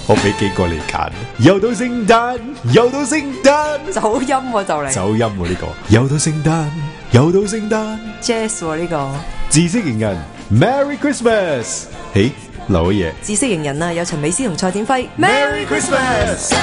我俾幾個你揀，又到聖誕，又到聖誕，走音喎就嚟，走音喎呢個，又到聖誕，又到聖誕 Jazz 喎呢個，知識型人 Merry Christmas， 嘿，留嘢，知識型人啊，有陳美詩同蔡展輝 Merry Christmas。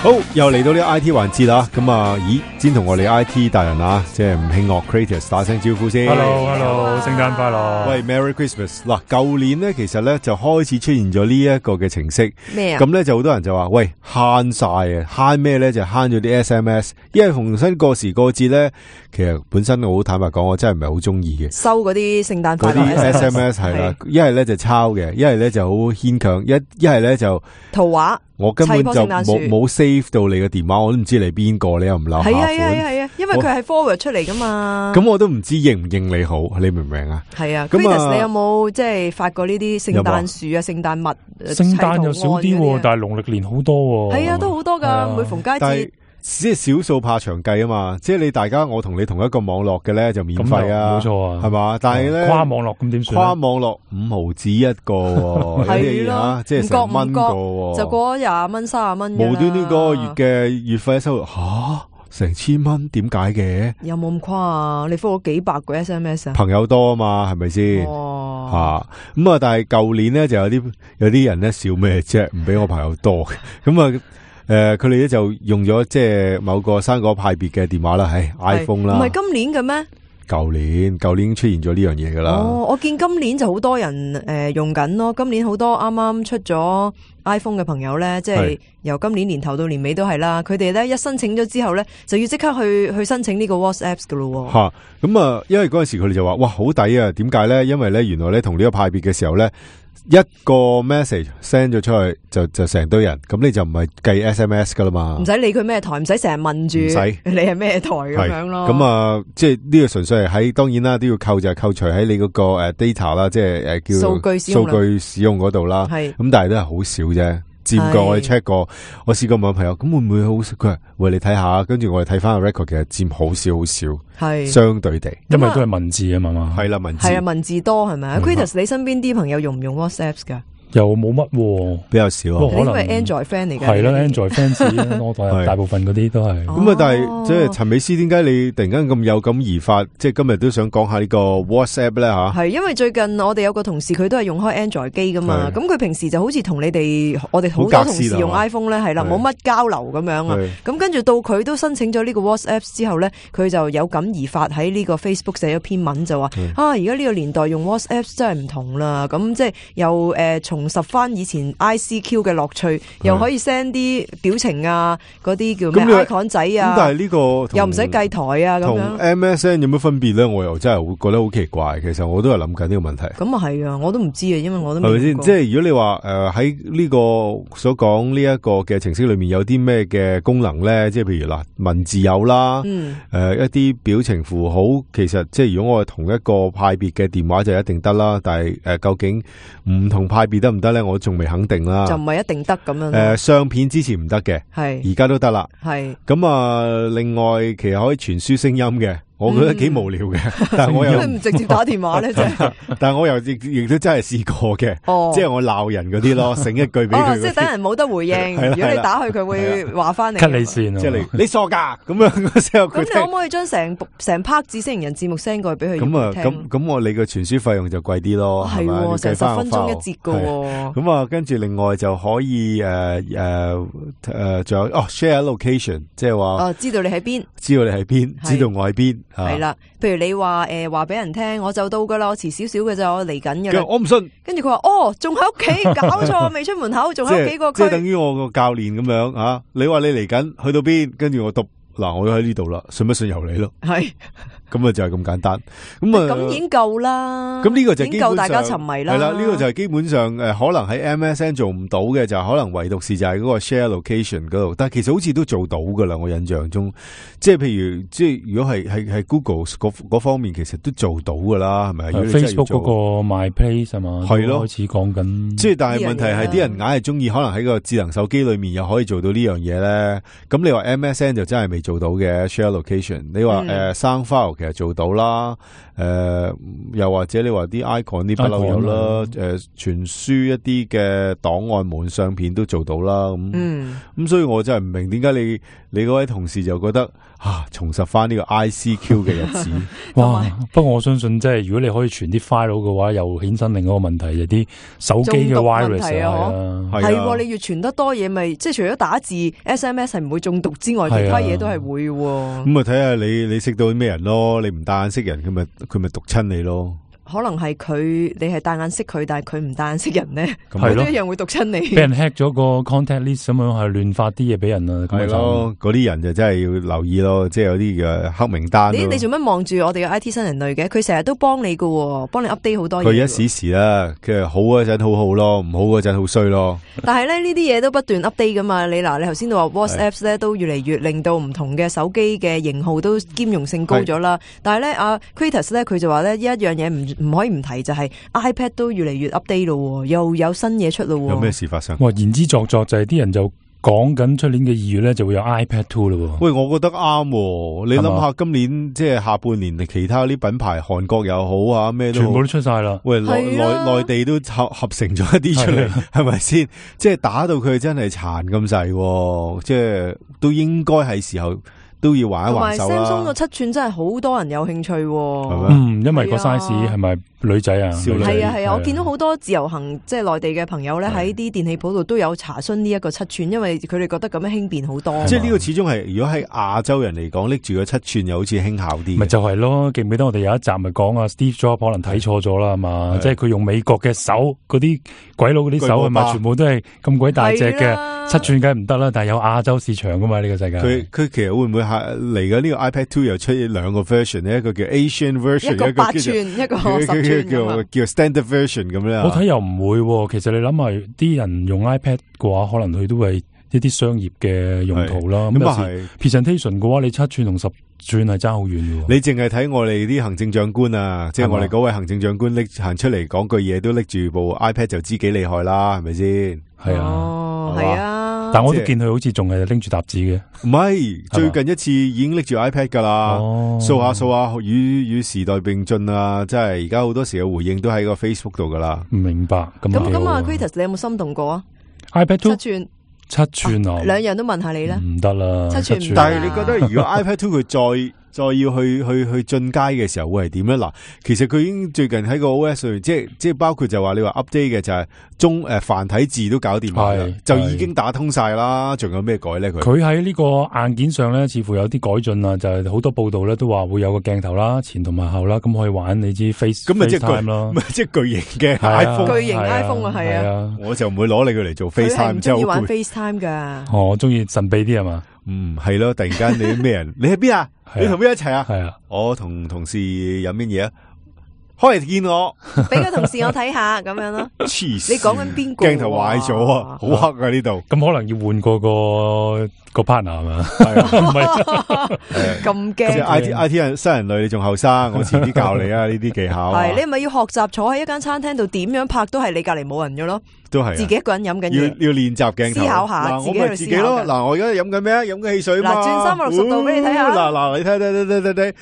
好，又嚟到呢個 I T 環節啦，咁啊，咦，先同我哋 I T 大人啊，即係吳慶樂 Creators 打聲招呼先。Hello，聖誕快樂。喂 ，Merry Christmas。嗱，舊年咧其實咧就開始出現咗呢一個嘅程式。咩啊？咁咧就好多人就話，喂，慳晒啊，慳咩咧？就慳咗啲 SMS，因為逢親過時過節咧，其實本身我好坦白講，我真係唔係好中意嘅。收嗰啲聖誕快樂嗰啲 SMS 係啦，一係咧就抄嘅，一係咧就好牽強，一係咧就圖畫。我根本就冇 save 到你嘅電話，我都唔知你邊個，你又唔留下款。係啊，因為佢係 forward 出嚟噶嘛。咁我都唔知認唔認你好，你明唔明啊？係啊。Chris，你有冇即係發過呢啲聖誕樹啊、聖誕物？聖誕又少啲，但係農曆年好多。係啊，都好多噶，每逢佳節。即係少數怕長計啊嘛，即係你大家我同你同一個網絡嘅咧就免費啊，冇錯啊，係嘛？但係咧跨網絡咁點算？跨網絡5毫子一個，係咯，即係成蚊個，就過咗20蚊、30蚊。無端端個月嘅月費收入成1000蚊，點解嘅？有冇咁誇啊？你覆咗幾百個 SMS 啊？朋友多啊嘛，係咪先？咁啊！但係舊年咧就有啲人咧笑咩啫？唔俾我朋友多咁啊。佢哋咧就用咗即係某個生果派別嘅電話啦，係 iPhone 啦。唔係今年嘅咩？舊年已經出現咗呢樣嘢噶啦。我見今年就好多人用緊咯。今年好多啱啱出咗 iPhone 嘅朋友咧，即係由今年年頭到年尾都係啦。佢哋咧一申請咗之後咧，就要即刻去申請呢個 WhatsApp 噶咯。吓咁啊，因為嗰陣時佢哋就話哇好抵啊！點解咧？因為咧原來咧同呢個派別嘅時候咧。一個 message send 咗出去就成堆人，咁你就唔係計 SMS 噶啦嘛，唔使理佢咩台，唔使成日問住你係咩台咁樣咯。咁啊，即係呢個純粹係喺當然啦，都要扣除喺你嗰個data 啦，即係叫數據使用嗰度啦。係咁，但係都係好少啫。佔過我哋 check 過，我試過問朋友，咁會唔會好？佢話喂，你睇下，跟住我哋睇翻個 record，其實佔好少，係相對地，因為都係文字啊嘛，係啦，文字多係咪啊？Chris，你身邊啲朋友用唔用 WhatsApp 噶？又冇乜，比較少。可能係 Android friend 嚟嘅，係啦 Android fans 大部分嗰啲都係。咁啊，但係即係陳美詩，點解你突然間咁有感而發？即係今日都想講下呢個 WhatsApp 咧吓？係因為最近我哋有個同事，佢都係用開 Android 機噶嘛。咁佢平時就好似同我哋好多同事用 iPhone 咧，係啦，冇乜交流咁樣啊。咁跟住到佢都申請咗呢個 WhatsApp 之後咧，佢就有感而發喺呢個 Facebook 寫咗篇文就話而家呢個年代用 WhatsApp 真係唔同啦。咁即係又重拾翻以前 ICQ 嘅樂趣，又可以 send 啲表情啊，嗰啲叫咩 icon 仔啊。咁但係呢個又唔使計台啊，咁樣。同 MSN 有乜分別咧？我又真係會覺得好奇怪。其實我都係諗緊呢個問題。咁啊係啊，我都唔知啊，因為我都係咪先？即係如果你話喺呢個所講呢一個嘅程式裏面有啲咩嘅功能咧？即係譬如嗱，文字有啦，一啲表情符號，其實即係如果我係同一個派別嘅電話就一定得啦。但係究竟唔同派別得唔得咧？我仲未肯定啦，就唔係一定得咁樣。相片之前唔得嘅，係而家都得啦。係咁啊，另外其實可以傳輸聲音嘅。我覺得幾無聊嘅，但係我又唔直接打電話咧，真係。但係我又亦都真係試過嘅，即係我鬧人嗰啲咯，醒一句俾佢。即係等人冇得回應。如果你打去，佢會話翻你。 cut 你線，即係你傻噶咁樣嗰時候。咁你可唔可以將成 part 知識型人節目 send 過去俾佢？咁啊，咁我你個傳輸費用就貴啲咯，係嘛？成10分鐘一節噶。咁啊，跟住另外就可以仲有share location， 即係話知道你喺邊，知道你喺邊，知道我喺邊。係啦，譬如你話話俾人聽，我就到噶啦，我遲少少嘅咋，我嚟緊嘅。我唔信。跟住佢話仲喺屋企，搞錯，未出門口，仲喺屋企個區。即係等於我個教練咁樣啊！你話你嚟緊，去到邊？跟住我讀嗱，我都喺呢度啦，信不信由你咯。係。咁啊就係咁簡單，咁已經夠啦。咁呢個就已經夠大家沉迷啦。係啦，呢個就係基本上可能喺 MSN 做唔到嘅，就係可能唯獨是就係嗰個 share location 嗰度。但係其實好似都做到噶啦，我印象中，即係譬如即係如果係 Google 嗰方面，其實都做到噶啦，係咪？Facebook 嗰個 My Place 係嘛？係咯，開始講緊。即係但係問題係啲人硬係中意，可能喺個智能手機裏面又可以做到呢樣嘢咧。咁你話 MSN 就真係未做到嘅 share location。你話sound file 其實做到啦，又或者你話啲 icon 啲不嬲有啦，傳輸一啲嘅檔案門相片都做到啦。咁所以我真係唔明點解你嗰位同事就覺得重拾翻呢個 ICQ 嘅日子。哇！不過我相信即係如果你可以傳啲 file 嘅話，又衍生另一個問題，就啲手機嘅 virus 係你越傳得多嘢，咪即係除咗打字 SMS 係唔會中毒之外，其他嘢都係會。咁睇下你識到啲咩人咯？你唔戴眼識人，佢咪毒親你咯？可能係你係戴眼識佢，但係佢唔戴眼識人咧，佢都一樣會毒親你。俾人 hack 咗個 contact list 咁樣，係亂發啲嘢俾人啊！係咯，嗰啲人就真係要留意咯，即係有啲嘅黑名單。你做乜望住我哋嘅 IT 新人類嘅？佢成日都幫你㗎，幫你 update 好多嘢。佢一時啦，佢好嗰陣好好咯，唔好嗰陣好衰咯。但係咧呢啲嘢都不斷 update 噶嘛？你頭先都話 WhatsApp 咧都越嚟越令到唔同嘅手機嘅型號都兼容性高咗啦。但係咧阿 Kratos 咧佢就話咧一樣嘢唔可以唔提，就係 iPad 都越嚟越 update 咯，又有新嘢出咯。有咩事發生？言之鑿鑿就係啲人就講緊出年嘅2月咧就會有 iPad 2咯。喂，我覺得啱。你諗下今年即係下半年，其他啲品牌韓國又好啊，咩都好全部都出晒啦。喂，內地都合成咗一啲出嚟，係咪先？即係打到佢真係殘咁滯，即係都應該係時候。都要玩一玩手啦。同埋 Samsung 個7寸真係好多人有興趣喎。因為個 size 係咪女仔啊？係啊，我見到好多自由行即係內地嘅朋友咧，喺啲電器鋪度都有查詢呢一個7寸，因為佢哋覺得咁樣輕便好多。即係呢個始終係，如果喺亞洲人嚟講，拎住個7寸又好似輕巧啲。咪就係咯，記唔記得我哋有一集咪講啊 Steve Jobs 可能睇錯咗啦嘛？即係佢用美國嘅手，嗰啲鬼佬嗰啲手係咪全部都係咁鬼大隻嘅？7寸梗係唔得啦，但係有亞洲市場噶嘛呢個世界。佢其實會唔會嚟緊呢個 iPad 2又出兩個 version 呢？一個叫 Asian version， 一個8寸，一個10寸叫 standard version 咁咧。我睇又唔會，其實你諗下，啲人用 iPad 嘅話，可能佢都係一啲商業嘅用途啦。咁有時 presentation 嘅話，你7寸同10寸係爭好遠嘅。你淨係睇我哋啲行政長官啊，即係我哋嗰位行政長官行出嚟講句嘢，都拎住部 iPad 就知幾厲害啦，係咪先？係啊，係啊。但我都見佢好似仲係拎住沓紙嘅，唔係最近一次已經拎住 iPad 噶啦，掃下與時代並進啊！即係而家好多時嘅回應都喺個 Facebook 度噶啦。唔明白咁啊 Kratos 你有冇心動過啊 ？iPad 2 7寸啊，兩樣都問下你啦。唔得啦，7寸。但係你覺得如果 iPad 2佢再要去進階嘅時候會係點咧？嗱，其實佢已經最近喺個 OS 上面，即係包括就話你話 update 嘅就係繁體字都搞掂埋，就已經打通晒啦。仲有咩改咧？佢喺呢個硬件上咧，似乎有啲改進啊！就係好多報道咧都話會有個鏡頭啦，前同埋後啦，咁可以玩你知 FaceTime 咯，即係巨型嘅 iPhone， 巨型 iPhone 啊，係啊！我就唔會攞你佢嚟做 FaceTime，即係要玩 FaceTime 噶。我中意神秘啲係嘛？係咯，突然間你咩人？你喺邊啊？你同邊一齊啊？係啊，我同同事飲乜嘢啊？開嚟見我，俾個同事我睇下咁樣咯。黐線！你講緊邊個？鏡頭壞咗啊，好黑啊呢度。咁可能要換過個 partner 係嘛？係啊，唔係咁驚。IT 人新人類，你仲後生，我遲啲教你啊呢啲技巧。係你係咪要學習坐喺一間餐廳度點樣拍都係你隔籬冇人嘅咯？都係自己一個人飲緊嘢，要練習鏡頭，思考下，我咪自己咯。嗱，我而家飲緊咩啊？飲緊汽水嘛。嗱，轉360度俾你睇下。嗱，你睇。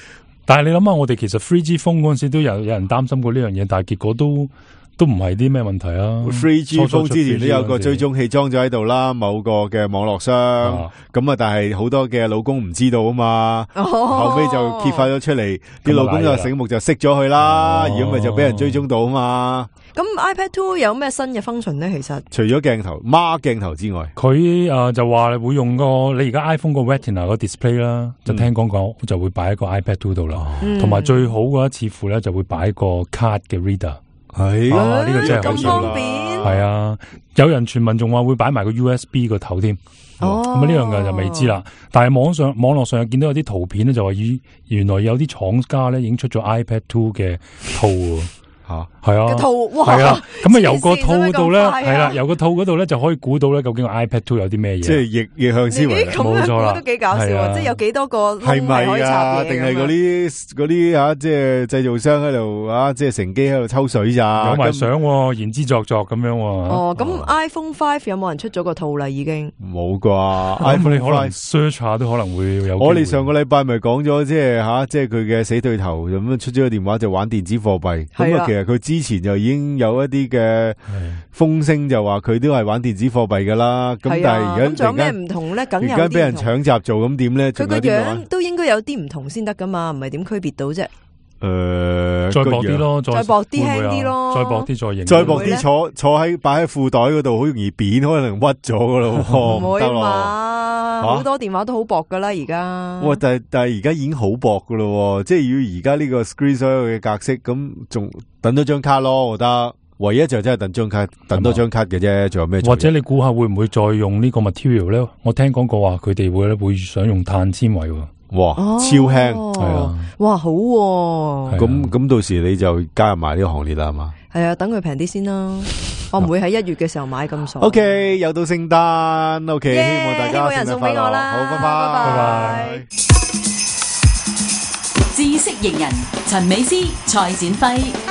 但係你諗下，我哋其實 3G phone 嗰陣時都有人擔心過呢樣嘢，但係結果都唔係啲咩問題啊。3G phone 之前都有個追蹤器裝咗喺度啦，某個嘅網絡商咁啊，但係好多嘅老公唔知道啊嘛，後尾就揭發咗出嚟，啲老公就醒目就熄咗佢啦，如果咪就俾人追蹤到啊嘛。咁 iPad 2有咩新嘅 function 咧？其實除咗鏡頭孖鏡頭之外，佢就話會用你而家 iPhone 個 Retina 個 display 啦，就聽講就會擺喺個 iPad 2度啦，同埋最好嘅一似乎咧就會擺個 card 嘅 reader。係呢個真係好咁方便。係啊，有人傳聞仲話會擺埋個 USB 個頭添。咁呢樣嘅就未知啦。但係網絡上見到有啲圖片咧，就話原來有啲廠家咧已經出咗 iPad 2嘅套。係啊，套係啊，咁啊由個套度咧，係啦，由個套嗰度咧就可以估到咧究竟個 iPad 2有啲咩嘢，即係逆向思維，冇錯啦，都幾搞笑，即係有幾多個係咪啊？定係嗰啲啊，即係製造商喺度啊，即係乘機喺度抽水咋？有埋相，言之鑿鑿咁樣。哦，咁 iPhone 5有冇人出咗個套啦？已經冇啩 ？iPhone 你可能 search 下都可能會有。我哋上個禮拜咪講咗，即係吓，即係佢嘅死對頭咁樣出咗個電話就玩電子貨幣。咁啊，其實佢之前就已經有一啲嘅風聲，就話佢都係玩電子貨幣噶啦。咁但係而家仲有咩唔同咧？梗有啲唔同。而家俾人搶閘做，咁點咧？佢個樣都應該有啲唔同先得噶嘛，唔係點區別到啫？再薄啲咯，再薄啲輕啲咯，再薄啲再型，再薄啲坐喺擺喺褲袋嗰度，好容易扁，可能屈咗噶咯。唔會嘛，好多電話都好薄噶啦，而家。哇！但係而家已經好薄噶咯，即係要而家呢個 screen 所有嘅格式，咁仲等多張卡咯，我覺得。唯一就真係等多張卡嘅啫，仲有咩？或者你估下會唔會再用呢個 material 咧？我聽講過話佢哋會想用碳纖維。哇，超輕係啊！哇，好喎！咁到時你就加入埋呢個行列啦，係嘛？係啊，等佢平啲先啦。我唔會喺1月嘅時候買咁傻。OK，又到聖誕 ，OK，希望大家人送俾我啦。好，拜拜。知識型人陳美詩、蔡展輝。